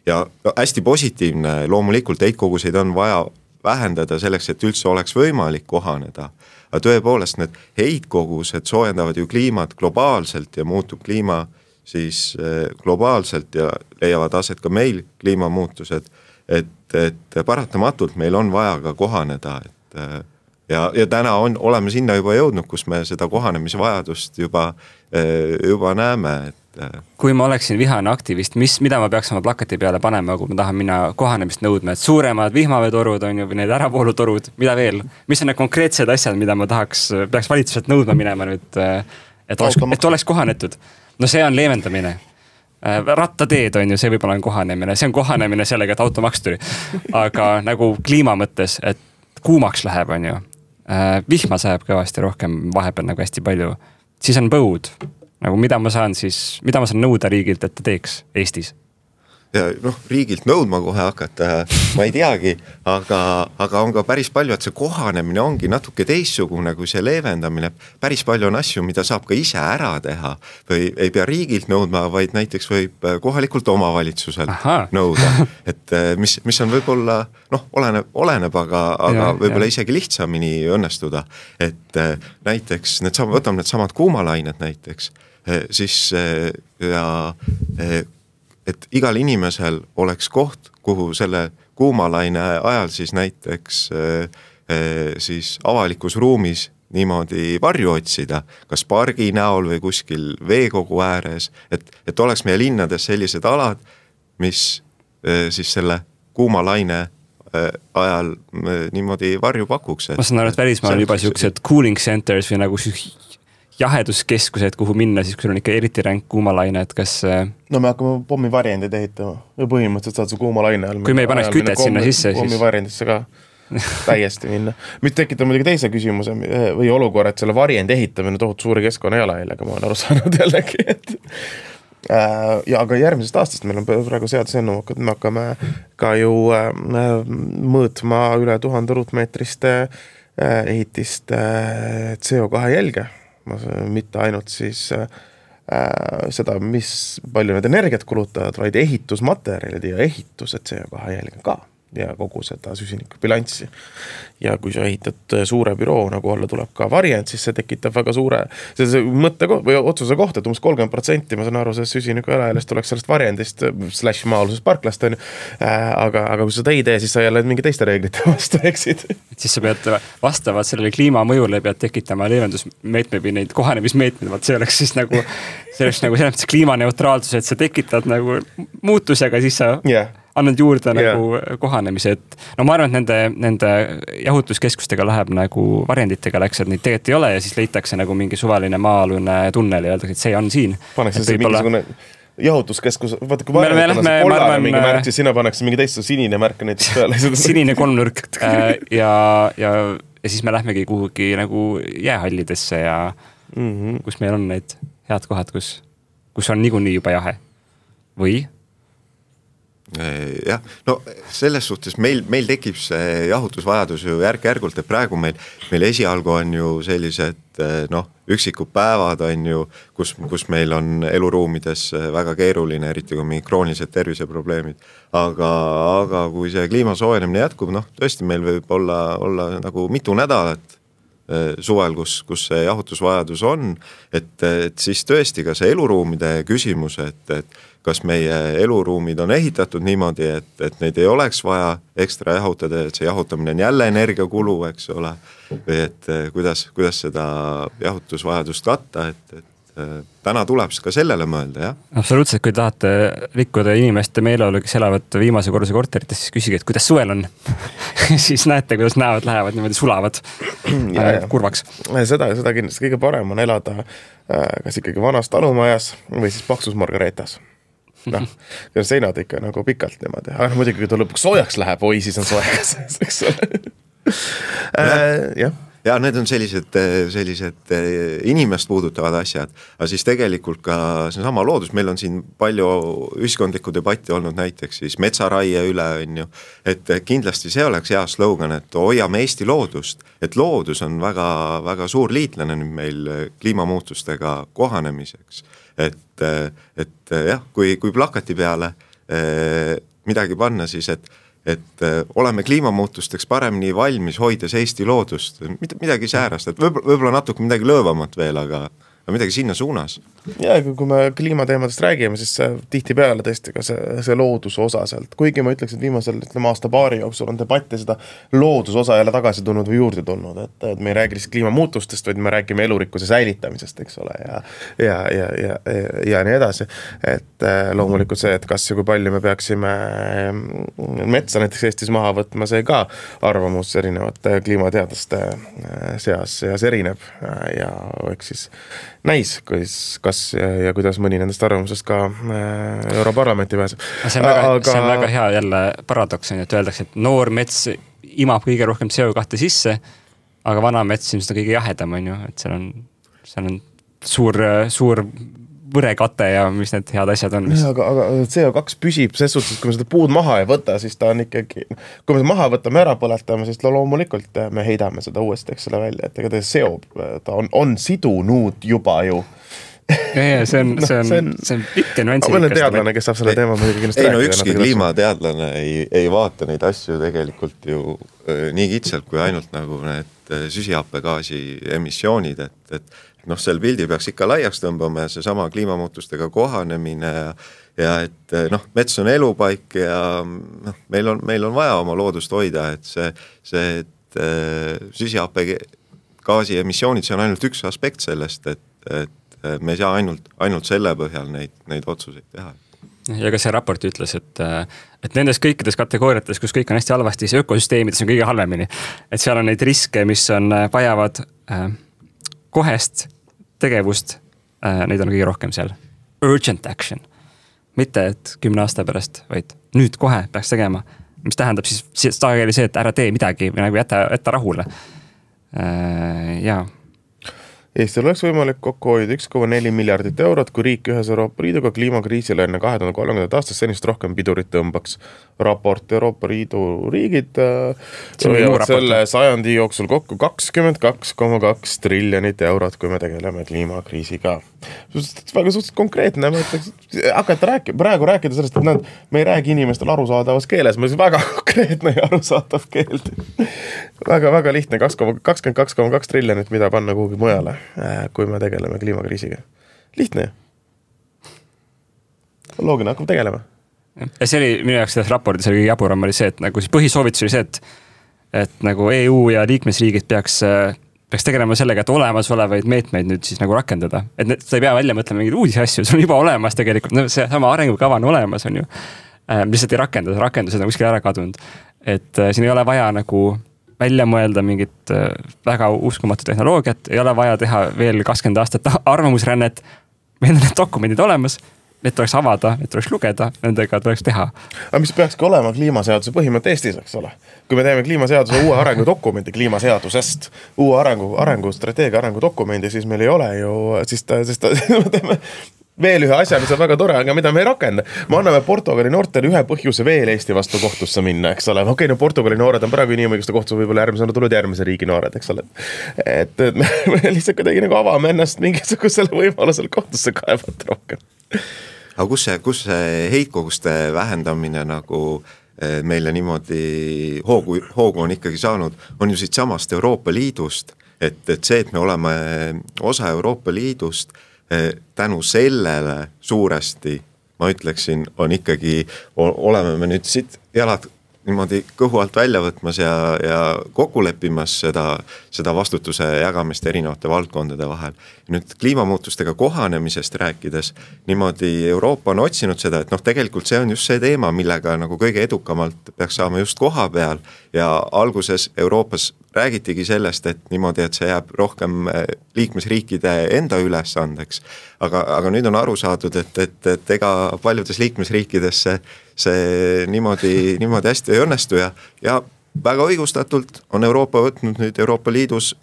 ja hästi positiivne, loomulikult heitkoguseid on vaja vähendada selleks, et üldse oleks võimalik kohaneda. Aga tõepoolest need heitkogused soojendavad ju kliimat globaalselt ja muutub kliima siis globaalselt ja leiavad aset ka meil kliimamuutused, et paratamatult meil on vaja ka kohaneda, ja täna oleme sinna juba jõudnud, kus me seda kohanemisvajadust juba näeme, Kui ma oleksin vihane aktivist, mida ma peaks oma plakati peale panema, kui ma tahan minna kohanemist nõudma, et suuremad vihmaveetorud on ju, või need äravoolutorud, mida veel? Mis on need konkreetsed asjad, mida ma peaks valitsuselt nõudma minema nüüd, et oleks kohanetud? No see on leevendamine. Rattateed on ju, see võib-olla on kohanemine. See on kohanemine sellega, et automaks tuli. Aga nagu kliima mõttes, et kuumaks läheb, on ju. Vihma sajab kõvasti rohkem, vahepeal nagu hästi palju. Siis on põud. Nagu mida ma saan nõuda riigilt, et ta teeks Eestis? Ja riigilt nõudma kohe hakata, ma ei teagi, aga on ka päris palju, et see kohanemine ongi natuke teissugune kui see leevendamine. Päris palju on asju, mida saab ka ise ära teha või ei pea riigilt nõudma, vaid näiteks võib kohalikult omavalitsuselt nõuda. Et mis on võib-olla, oleneb, aga võib-olla isegi lihtsamini õnnestuda. Et näiteks, võtame need samad kuumalained näiteks, siis et igal inimesel oleks koht, kuhu selle kuumalaine ajal siis näiteks siis avalikus ruumis niimoodi varju otsida, kas pargi näol või kuskil veekogu ääres, et oleks meie linnades sellised alad, mis siis selle kuumalaine ajal niimoodi varju pakuks. Ma saan aru, et välismaal on juba sellised cooling centers või nagu jaheduskeskused, kuhu minna, siis kui on ikka eriti ränk kuumalaine, et kas... No me hakkame pommivarjendid ehitama ja põhimõtteliselt saad su kuumalaine all. Kui me ei paneks kütet sinna sisse, siis... Pommivarjendisse ka täiesti minna. Mis tekitab muidugi teise küsimuse või olukorra, et selle varjendi ehitamine tohut suuri keskkonna jalajäljaga, ma olen aru saanud jällegi. Ja aga järgmisest aastast meil on praegu seadusennum, me hakkame ka ju mõõtma üle 1000 ruutmeetriste ehitiste CO2 jälge. Mitte ainult siis seda, mis palju need energiat kulutavad, vaid ehitusmaterjalid ja ehitused CO2 jälge ka ja kogu seda süsiniku bilanssi. Ja kui sa ehitad suure büroo, nagu olla tuleb ka varjend, siis see tekitab väga suure see mõtte või otsuse kohta, et 30%, ma saan aru, see süsiniku jalajäljest tuleks sellest varjendist / maa-alusest parklast, on ju. Aga kui sa ei tee, siis sa jälle mingi teiste reeglite vastu eksid. Siis sa pead vastavalt sellele kliimamõjule pead tekitama leevendusmeetme või neid kohanemismeetmed, see oleks siis nagu selles mõttes kliimaneutraalsus, et sa tekitad nagu muutusega, siis sa annad juurde nagu kohanemise, et ma arvan, et nende jahutuskeskustega läheb nagu varjenditega läks, et neid tegelikult ei ole ja siis leitakse nagu mingi suvaline maa-alune tunnel ja öeldakse, et see on siin. Paneks see mingisugune jahutuskeskus, vaata kui varjendid on kollane mingi märk, siis sinna pannakse mingi teist sinine märk näiteks peale. Sinine kolmnurk ja siis me lähmegi kuhugi nagu jäähallidesse ja kus meil on need head kohad, kus on niikuinii juba jahe. Või? Jah, selles suhtes meil tekib see jahutusvajadus ju järk-järgult, et praegu meil esialgu on ju sellised üksikud päevad on ju, kus meil on eluruumides väga keeruline, eriti kui mingi kroonilised terviseprobleemid. Aga kui see kliima soojenemine jätkub, tõesti meil võib olla nagu mitu nädalat suvel, kus see jahutusvajadus on, et siis tõesti ka see eluruumide küsimus, et kas meie eluruumid on ehitatud niimoodi, et neid ei oleks vaja ekstra jahutada, et see jahutamine on jälle energiakulu, eks ole, või et kuidas seda jahutusvajadust katta, et täna tuleb ka sellele mõelda, jah? Absoluutselt, kui tahate rikkuda inimeste meeleolu, kes elavad viimase korruse korterites, siis küsige, et kuidas suvel on. Siis näete, kuidas näevad lähevad, niimoodi sulavad kurvaks. Seda kindlasti kõige parem on elada kas ikkagi vanas talumajas või siis paksus margareetas. Seinad ikka nagu pikalt niimoodi. Aga muidugi, kui ta lõpuks soojaks läheb, siis on soekas. Jah. Ja need on sellised inimest puudutavad asjad, aga siis tegelikult ka see sama loodus, meil on siin palju ühiskondlikku debatti olnud näiteks siis metsaraie üle, on ju, et kindlasti see oleks hea slogan, et hoiame Eesti loodust, et loodus on väga, väga suur liitlane nüüd meil kliimamuutustega kohanemiseks, et jah, kui plakati peale midagi panna, siis et oleme kliimamuutusteks paremini valmis, hoides Eesti loodust, midagi säärast, et võib-olla natuke midagi lõõvamat veel, aga midagi sinna suunas. Ja kui me kliimateemadest räägime, siis tihti peale tõesti ka see looduse osa sealt. Kuigi ma ütleks, et viimasel aasta-paari jooksul on debatti seda looduse jälle tagasi tulnud või juurde tulnud, et me ei räägi lihtsalt kliimamuutustest, vaid me räägime elurikkuse säilitamisest, eks ole, ja nii edasi. Et loomulikult see, et kas ja kui palju me peaksime metsa näiteks Eestis maha võtma, see ka arvamus erinevate kliimateaduste seas erineb ja eks siis näis, kas ja kuidas mõni nendest arvamusest ka Europarlamenti pääseb. See on väga hea jälle paradoks, et öeldakse, et noor mets imab kõige rohkem CO2 sisse, aga vana mets ilmselt kõige jahedam on ju, et seal on suur võrekate ja mis need head asjad on. Aga CO2 püsib ses suhtes, kui me seda puud maha ei võta, siis ta on ikkagi, kui me maha võtame ära põletame, siis loomulikult me heidame seda uuesti, eks selle välja, et ega ta seob, ta on sidunud juba ju. See on pikk nüansi. Ma olen teadlane, kes saab selle teema kindlasti rääkida. Ükski kliimateadlane ei vaata neid asju tegelikult ju nii kitsalt, kui ainult nagu need süsihappegaasi emissioonid, et seal pildi peaks ikka laiaks tõmbama ja see sama kliimamuutustega kohanemine ja et mets on elupaik ja meil on vaja oma loodust hoida, et see süsihappegaasi emissioonid, see on ainult üks aspekt sellest, et me ei saa ainult selle põhjal neid otsuseid teha. Ja ka see raport ütles, et nendes kõikides kategooriates, kus kõik on hästi halvasti, see ökosüsteemides on kõige halvemini. Et seal on neid riske, mis vajavad kohest tegevust, neid on kõige rohkem seal. Urgent action. Mitte, et 10 aasta pärast, vaid nüüd kohe peaks tegema. Mis tähendab siis tagageli see, et ära tee midagi või nagu jätta rahule. Jaa. Eestil oleks võimalik kokku hoida 1,4 miljardit eurot, kui riik ühes Euroopa Liiduga kliimakriisile enne 2030. aastast senist rohkem pidurit tõmbaks. Raport Euroopa Liidu riigid selle sajandi jooksul kokku 22,2 triljonit eurot, kui me tegeleme kliimakriisiga. Väga suhteliselt konkreetne, ma ütleks, hakata praegu rääkida sellest, et me ei räägi inimestel arusaadavas keeles, ma väga konkreetne ja arusaadav keeld. Väga lihtne, 22,2 triljonit, mida panna kuhugi mujale, kui me tegeleme kliimakriisiga. Lihtne. Loogine, hakkab tegelema. Ja see oli minu jaoks selles raportis oli jaburam oli see, et nagu siis põhisoovitus oli see, et nagu EU ja liikmesriigid peaks tegelema sellega, et olemasolevaid meetmeid nüüd siis nagu rakendada. Et sa ei pea välja mõtlema mingeid uusi asju, see on juba olemas tegelikult, see sama arengukava on olemas, on ju. Lihtsalt ei rakendused on kuskil ära kadunud. Et siin ei ole vaja nagu välja mõelda mingit väga uskumatu tehnoloogiat, ei ole vaja teha veel 20 aastat arvamusrännet, meil on need dokumendid olemas, need tuleks avada, need tuleks lugeda, nendega tuleks teha. Aga mis peakski olema kliimaseaduse põhimõte Eestis, eks ole? Kui me teeme kliimaseaduse uue arengudokumendi kliimaseadusest, uue arengustrateegia arengudokumendi, siis meil ei ole ju, siis me teeme veel ühe asja, mis on väga tore, aga mida me ei rakenda. Me anname Portugali noortele ühe põhjuse veel Eesti vastu kohtusse minna, eks ole. Okei, no Portugali noored on praegu inimõiguste kohtus võib-olla järgmisena tulnud järgmise riigi noored, eks ole. Et me lihtsalt kuidagi nagu avame ennast mingisugusele võimalusel kohtusse kaevata rohkem. Aga kus see heitkoguste vähendamine nagu meile niimoodi hoogu on ikkagi saanud, on ju siit samast Euroopa Liidust, et see, et me oleme osa Euroopa Liidust, tänu sellele suuresti, ma ütleksin, on ikkagi, oleme me nüüd siit jalad niimoodi kõhu alt välja võtmas ja kokku leppimas seda vastutuse jagamist erinevate valdkondade vahel. Nüüd kliimamuutustega kohanemisest rääkides, niimoodi Euroopa on otsinud seda, et tegelikult see on just see teema, millega nagu kõige edukamalt peaks saama just koha peal ja alguses Euroopas räägitigi sellest, et niimoodi, et see jääb rohkem liikmesriikide enda ülesandeks. Aga nüüd on aru saadud, et ega paljudes liikmesriikides see niimoodi hästi ei õnnestu ja väga õigustatult on Euroopa võtnud nüüd Euroopa Liidus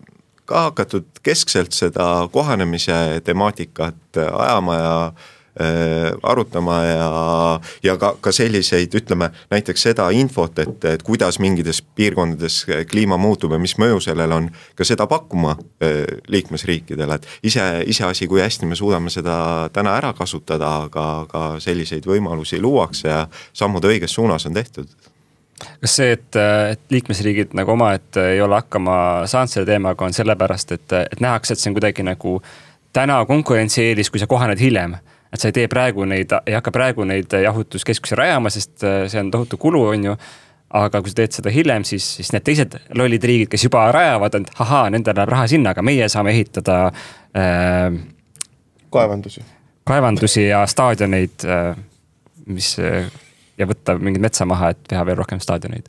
ka hakatud keskselt seda kohanemise temaatikat ajama ja arutama ja ka selliseid, ütleme näiteks seda infot, et kuidas mingites piirkondades kliima muutub ja mis mõju sellel on, ka seda pakkuma liikmesriikidele, et ise asi, kui hästi me suudame seda täna ära kasutada, aga selliseid võimalusi luuakse ja sammud õiges suunas on tehtud. Kas see, et liikmesriigid nagu oma, et ei ole hakkama saanud selle teemaga, on sellepärast, et nähakse, et see on kuidagi nagu täna konkurentsieelis, kui sa kohaned hiljem. Et sa ei hakka praegu neid jahutuskeskusi rajama, sest see on tohutu kulu, on ju. Aga kui sa teed seda hiljem, siis need teised lollid riigid, kes juba rajavad, et nendel läheb raha sinna, aga meie saame ehitada kaevandusi ja staadioneid, ja võtta mingid metsa maha, et teha veel rohkem staadioneid.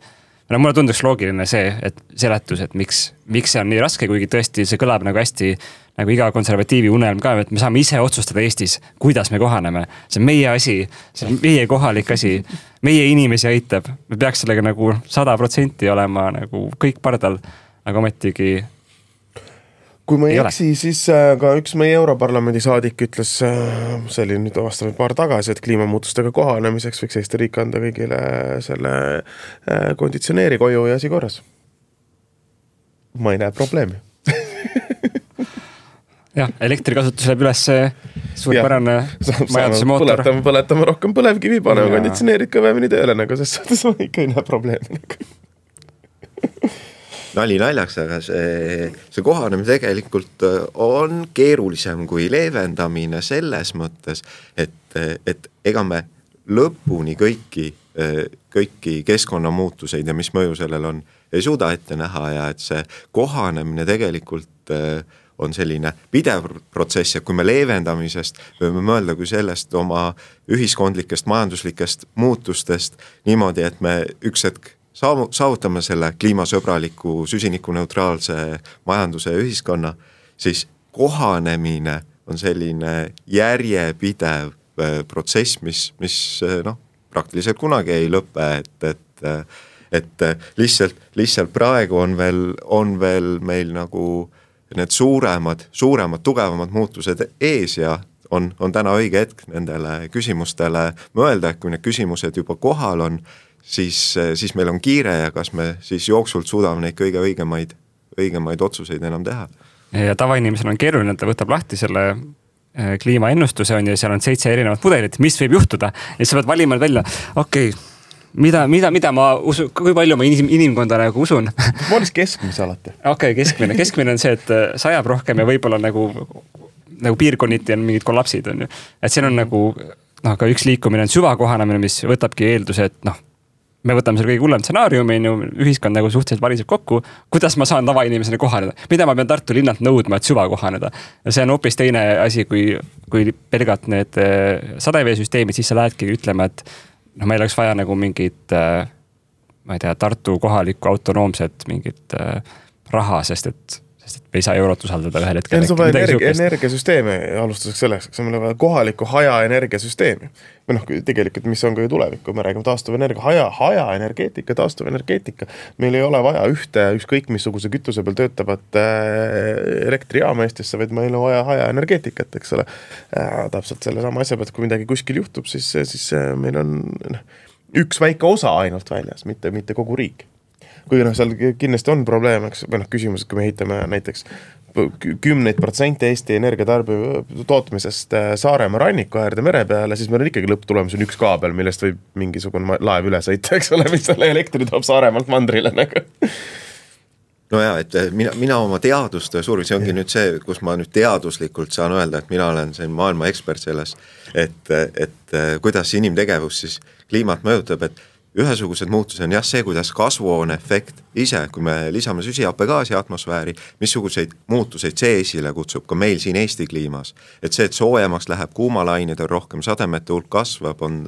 Mulle tunduks loogiline see, et seletus, et miks see on nii raske, kuigi tõesti see kõlab nagu hästi nagu iga konservatiivi unelm ka, et me saame ise otsustada Eestis, kuidas me kohaneme. See on meie asi, see on meie kohalik asi, meie inimesi aitab. Me peaks sellega nagu 100% olema nagu kõik pardal, aga ometigi kui ma ei eksi, siis ka üks meie Europarlamendi saadik ütles, see oli nüüd aastaid paar tagasi, et kliimamuutustega kohanemiseks võiks Eesti riik anda kõigile selle konditsioneeri koju ja asi korras. Ma ei näe probleemi. Jah, elektrikasutus läheb üles suurpärane majanduse mootor. Põletame rohkem põlevkivi, paneme konditsioneerid kõvemini tööle, nagu sest suhtes ma ikka ei näe probleemi. Nali naljaks, aga see kohanemine tegelikult on keerulisem kui leevendamine selles mõttes, et ega me lõpuni kõiki keskkonnamuutuseid ja mis mõju sellel on, ei suuda ette näha ja et see kohanemine tegelikult on selline pidev protsess ja kui me leevendamisest võime mõelda kui sellest oma ühiskondlikest, majanduslikest muutustest niimoodi, et me üks hetk saavutame selle kliimasõbraliku süsinikuneutraalse majanduse ja ühiskonna, siis kohanemine on selline järjepidev protsess, mis praktiliselt kunagi ei lõpe, et lihtsalt praegu on veel meil nagu need suuremad, tugevamad muutused ees ja on täna õige hetk nendele küsimustele mõelda, et kui need küsimused juba kohal on, siis meil on kiire ja kas me siis jooksult suudame neid kõige õigemaid otsuseid enam teha. Ja tavainimesel on keeruline, et ta võtab lahti selle kliimaennustuse on ja seal on 7 erinevat mudelit, mis võib juhtuda ja sa pead valima välja, mida ma usun, kui palju ma inimkonda nagu usun. Ma oleks keskmise alati. Keskmine on see, et sajab rohkem ja võib-olla nagu piirkonniti on mingid kollapsid on ju. Et siin on nagu, ka üks liikumine on süvakohanemine, mis võtabki eelduse, et me võtame selle kõige hullem stsenaariumi, ühiskond nagu suhteliselt variseb kokku, kuidas ma saan tavainimesena kohaneda, mida ma pean Tartu linnalt nõudma, et süva kohaneda. Ja see on hoopis teine asi, kui pelgalt need sadeveesüsteemid, siis sa lähedki ütlema, et meil oleks vaja nagu mingit, ma ei tea, Tartu kohalikku autonoomset mingit raha, sest et me ei saa eurot usaldada ühel hetkel. See on vaja energiasüsteemi alustuseks selleks, see on vaja kohalikku haja energiasüsteemi. Või tegelikult, mis on ka ju tulevik, kui me räägime taastuvenergia, haja energeetika, taastuvenergeetika. Meil ei ole vaja ühte ükskõik missuguse kütuse peal töötavat elektrijaama Eestisse, vaid meil on vaja haja energeetikat, eks ole. Täpselt selle sama asja pealt, kui midagi kuskil juhtub, siis meil on üks väike osa ainult väljas, mitte kogu riik. Kui seal kindlasti on probleem, küsimus, et kui me ehitame näiteks 10% Eesti energiatarbi tootmisest Saaremaa ranniku äärde mere peale, siis meil on ikkagi lõpptulemus on üks kaabel, millest võib mingisugune laev üle sõita, eks ole, mis selle elektri toob Saaremaalt mandrile nagu. No ja, et mina oma teadustöö suurim, see ongi nüüd see, kus ma nüüd teaduslikult saan öelda, et mina olen see maailma ekspert selles, et kuidas inimtegevus siis kliimat mõjutab, et ühesugused muutused on see, kuidas kasvuhoone efekt ise, kui me lisame süsihappegaasi atmosfääri, missuguseid muutuseid see esile kutsub ka meil siin Eesti kliimas. Et see, et soojemaks läheb, kuumalained on rohkem, sademete hulk kasvab, on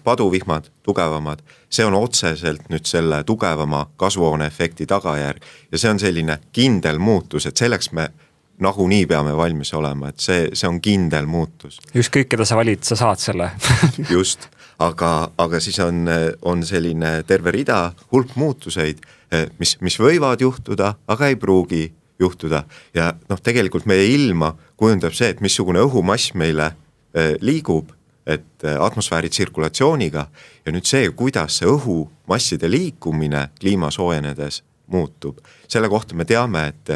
paduvihmad tugevamad. See on otseselt nüüd selle tugevama kasvuhoone efekti tagajärg. Ja see on selline kindel muutus, et selleks me nagunii peame valmis olema, et see on kindel muutus. Ükskõik, keda sa valid, sa saad selle. Just. Aga siis on selline terve rida hulk muutuseid, mis võivad juhtuda, aga ei pruugi juhtuda. Ja tegelikult meie ilma kujundab see, et missugune õhumass meile liigub, et atmosfääri tsirkulatsiooniga ja nüüd see, kuidas see õhumasside liikumine kliima soojenedes muutub. Selle kohta me teame, et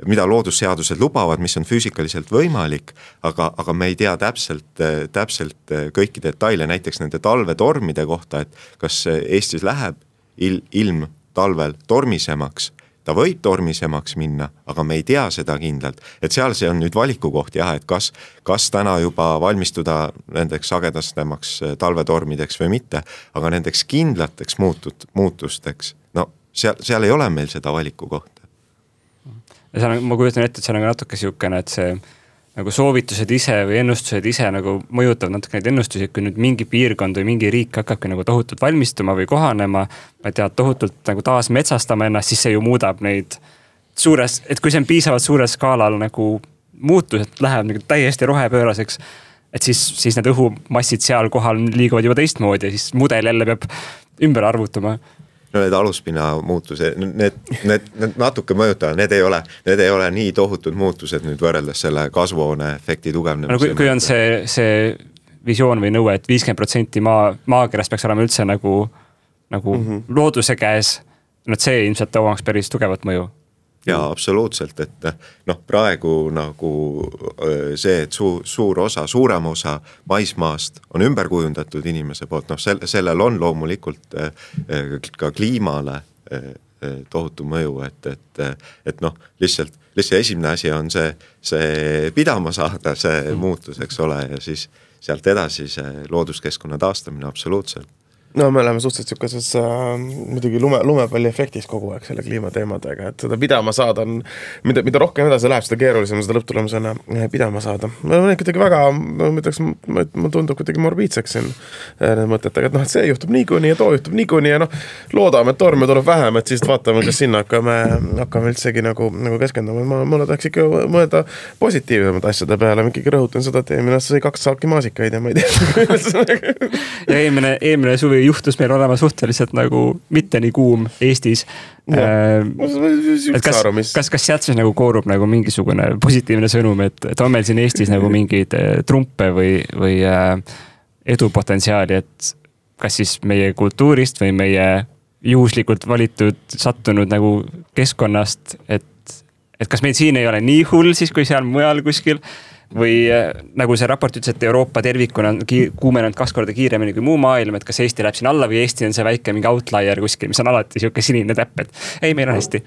mida loodusseadused lubavad, mis on füüsikaliselt võimalik, aga me ei tea täpselt kõiki detaile, näiteks nende talvetormide kohta, et kas Eestis läheb ilm talvel tormisemaks. Ta võib tormisemaks minna, aga me ei tea seda kindlalt. Et seal see on nüüd valiku koht, jah, et kas täna juba valmistuda nendeks sagedastemaks talvetormideks või mitte, aga nendeks kindlateks muutusteks, no seal ei ole meil seda valiku kohta. Ja seal, ma kujutan ette, et seal on natuke siukene, et see nagu soovitused ise või ennustused ise nagu mõjutavad natuke neid ennustusi, et kui nüüd mingi piirkond või mingi riik hakkabki nagu tohutult valmistuma või kohanema, ma ei tea, tohutult nagu taas metsastama ennast, siis see ju muudab neid suures, et kui see on piisavalt suures skaalal nagu muutus, et läheb nagu täiesti rohepööraseks, et siis need õhumassid seal kohal liiguvad juba teistmoodi ja siis mudel jälle peab ümber arvutama. No need aluspinna muutused, need natuke mõjutavad, need ei ole nii tohutud muutused nüüd võrreldes selle kasvuhoone efekti tugevnemise. Kui on see visioon või nõue, et 50% maakerast peaks olema üldse nagu looduse käes, see ilmselt omaks päris tugevat mõju. Jaa, absoluutselt, et praegu nagu see, et suurem osa maismaast on ümber kujundatud inimese poolt, sellel on loomulikult ka kliimale tohutu mõju, et lihtsalt esimene asi on see pidama saada, see muutus, eks ole, ja siis sealt edasi see looduskeskkonna taastamine absoluutselt. No me oleme suhteliselt sükkases muidugi lumepalli efektis kogu aeg selle kliimateemadega, et seda pidama saada on, mida rohkem edasi läheb, seda keerulisem seda lõpptulemusena pidama saada. Ma olen kuidagi väga, ma tundub kuidagi morbiidseks siin need mõtetega, et see juhtub niikuinii ja too juhtub niikuinii ja loodame, et torme tuleb vähem, et siis vaatame, kas sinna hakkame üldsegi nagu keskenduma. Mulle tahaks ikka mõelda positiivsemad asjade peale, ma ikkagi rõhutan seda, et eelmine sai 2 saaki maasikaid ja ma ei tea. Ja eelmine suvi juhtus meil olema suhteliselt nagu mitte nii kuum Eestis. Kas sealt siis nagu koorub nagu mingisugune positiivne sõnum, et on meil siin Eestis nagu mingeid trumpe või edupotentsiaali, et kas siis meie kultuurist või meie juhuslikult valitud sattunud nagu keskkonnast, et kas meil siin ei ole nii hull siis, kui seal mujal kuskil, või nagu see raport ütles, et Euroopa tervikuna on kuumenenud 2 korda kiiremini kui muu maailm, et kas Eesti läheb siin alla või Eesti on see väike mingi outlier kuskil, mis on alati siuke sinine täpp, et ei, meil on hästi.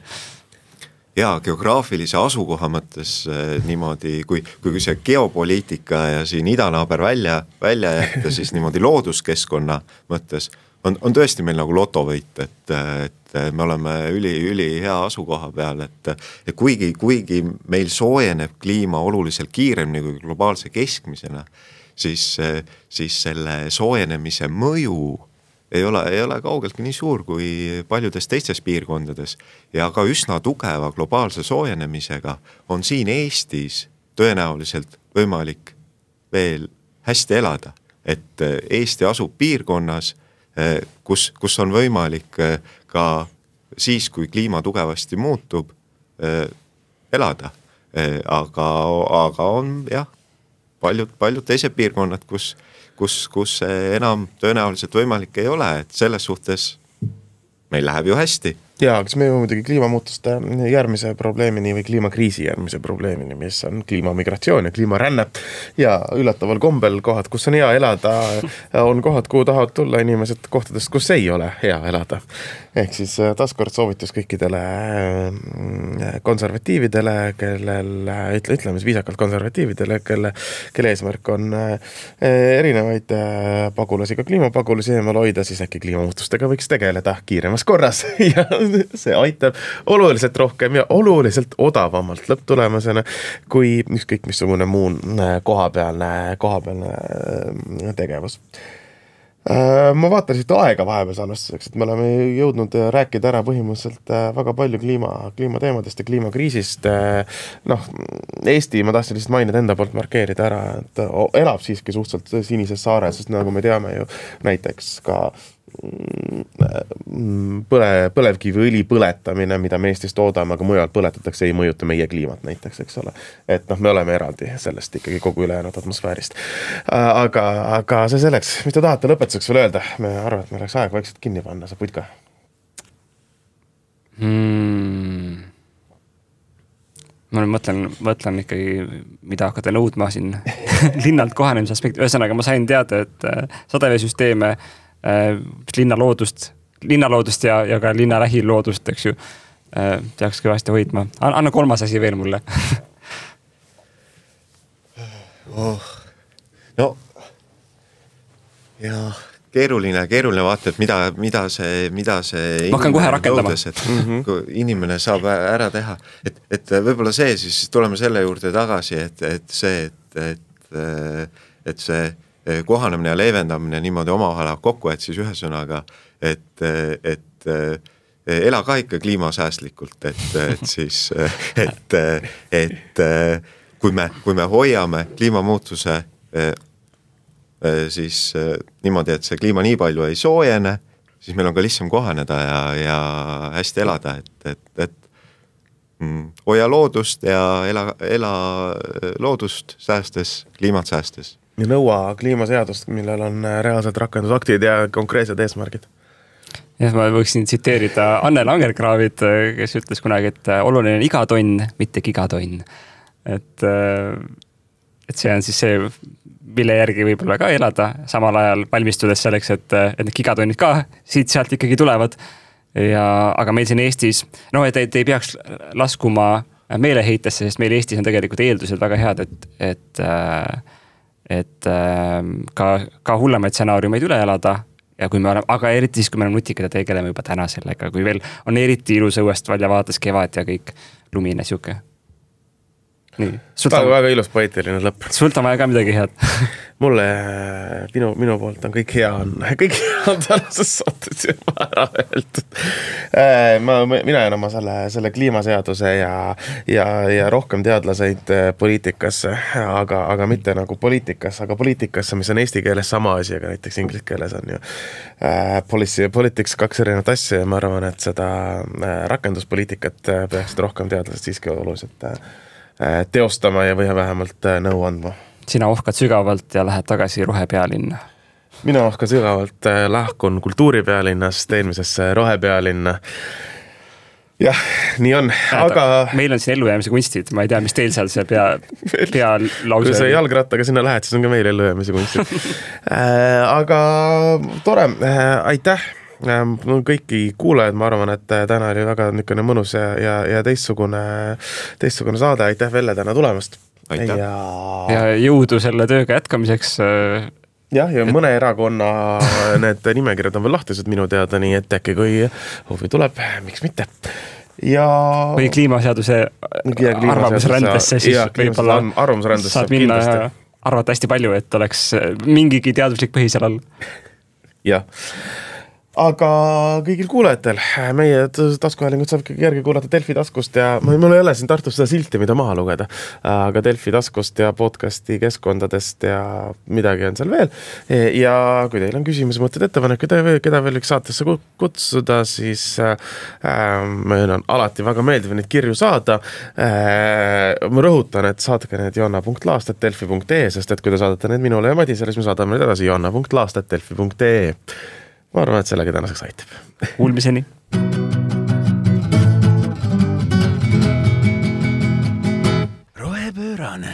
Ja geograafilise asukoha mõttes niimoodi, kui see geopoliitika ja siin idanaaber välja jätta, siis niimoodi looduskeskkonna mõttes on tõesti meil nagu lotovõit, et me oleme üli hea asukoha peal, et kuigi meil soojeneb kliima oluliselt kiiremini kui globaalse keskmisena, siis selle soojenemise mõju ei ole kaugeltki nii suur kui paljudes teistes piirkondades ja ka üsna tugeva globaalse soojenemisega on siin Eestis tõenäoliselt võimalik veel hästi elada, et Eesti asub piirkonnas, kus on võimalik ka siis, kui kliima tugevasti muutub, elada. Aga on jah, paljud teised piirkonnad, kus enam tõenäoliselt võimalik ei ole, et selles suhtes meil läheb ju hästi. Jaa, kas me jõuame muidugi kliimamuutuste järgmise probleemini või kliimakriisi järgmise probleemini, mis on kliimamigratsioon ja kliimaränne ja üllataval kombel kohad, kus on hea elada, on kohad, kuhu tahavad tulla inimesed kohtadest, kus ei ole hea elada. Ehk siis taaskord soovitus kõikidele konservatiividele, ütleme viisakalt konservatiividele, kelle eesmärk on erinevaid pagulasi, ka kliimapagulasi eemal hoida, siis äkki kliimamuutustega võiks tegeleda kiiremas korras ja see aitab oluliselt rohkem ja oluliselt odavamalt lõpptulemusena kui ükskõik missugune muu kohapealne tegevus. Ma vaatan siit aega vahepeal salvestuseks, et me oleme jõudnud rääkida ära põhimõtteliselt väga palju kliimateemadest ja kliimakriisist. Eesti, ma tahtsin lihtsalt mainida enda poolt markeerida ära, et elab siiski suhteliselt sinises saares, sest nagu me teame ju näiteks ka põlevkiviõli põletamine, mida me Eestis toodame, aga mujal põletatakse, ei mõjuta meie kliimat näiteks, eks ole. Et noh, me oleme eraldi sellest ikkagi kogu ülejäänud atmosfäärist. Aga see selleks, mis te tahate lõpetuseks veel öelda? Me arvan, et me oleks aeg vaikselt kinni panna, sa putka. Ma mõtlen ikkagi, mida hakata nõudma siin linnalt kohanemise aspekti. Ühesõnaga, ma sain teada, et sadeveesüsteeme, linnaloodust ja ka linna lähiloodust, eks ju, peaks kõvasti hoidma. Anna 3. asi veel mulle. No, ja keeruline vaata, et mida see ma hakkan kohe rakendama. Kui inimene saab ära teha. Et võib-olla see, siis tuleme selle juurde tagasi, et see kohanemine ja leevendamine niimoodi omavahel kokku, et siis ühesõnaga, et ela ka ikka kliimasäästlikult, et kui me hoiame kliimamuutuse siis niimoodi, et see kliima nii palju ei soojene, siis meil on ka lihtsam kohaneda ja hästi elada, et hoia loodust ja ela loodust säästes, kliimat säästes. Ja nõua kliimaseadust, millel on reaalsed rakendusaktid ja konkreetsed eesmärgid. Ja ma võiksin tsiteerida Anne Langerkraavit, kes ütles kunagi, et oluline on iga tonn, mitte gigatonn. Et see on siis see, mille järgi võib-olla ka elada, samal ajal valmistudes selleks, et need gigatonnid ka siit-sealt ikkagi tulevad. Aga meil siin Eestis, et ei peaks laskuma meeleheitesse, sest meil Eestis on tegelikult eeldused väga head, et ka hullemaid stsenaariumeid üle elada. Ja kui me oleme, aga eriti siis, kui me oleme nutikad ja tegeleme juba täna sellega, kui veel on eriti ilus õuest välja vaates kevad ja kõik lumine siuke. Nii. Väga ilus poeetiline lõpp. Sult on vaja ka midagi head. Mulle, minu poolt on kõik hea on tänases saates juba ära öeldud. Mina jään oma selle kliimaseaduse ja rohkem teadlaseid poliitikasse, aga mitte nagu poliitikasse, aga poliitikasse, mis on eesti keeles sama asi, aga näiteks inglise keeles on ju politics 2 erinevat asja ja ma arvan, et seda rakenduspoliitikat peaksid rohkem teadlased siiski oluliselt teostama ja või vähemalt nõu andma. Sina ohkad sügavalt ja lähed tagasi rohepealinna. Mina ohkan sügavalt, lahkun kultuuripealinnast eelmisesse rohepealinna. Jah, nii on, aga... Meil on siin ellujäämise kunstid, ma ei tea, mis teil seal see pealause... Kui sa jalgrattaga sinna lähed, siis on ka meil ellujäämise kunstid. Aga tore, aitäh! Kõiki kuulajad, ma arvan, et täna oli väga niisugune mõnus ja teistsugune saade. Aitäh Velle täna tulemast. Aitäh. Ja jõudu selle tööga jätkamiseks. Ja mõne erakonna need nimekirjad on veel lahtised minu teada, nii et äkki kui huvi tuleb, miks mitte. Või kliimaseaduse arvamusrändesse, siis võib-olla saad minna ja arvata hästi palju, et oleks mingigi teaduslik põhi seal all. Jah. Aga kõigil kuulajatel, meie taskuhäälingut saab järgi kuulata Delfi taskust ja mul ei ole siin Tartus seda silti, mida maha lugeda, aga Delfi taskust ja podcasti keskkondadest ja midagi on seal veel. Ja kui teil on küsimus, mõtted, ettepanek, keda veel üks saatesse kutsuda, siis meil on alati väga meeldiv neid kirju saada. Ma rõhutan, et saatke need joanna.laast@delfi.ee, sest et kui te saadate need minule ja Madisele, siis me saadame need edasi joanna.laast@delfi.ee. Ma arvan, et sellega tänaseks aitab. Kuulmiseni. Rohepöörane.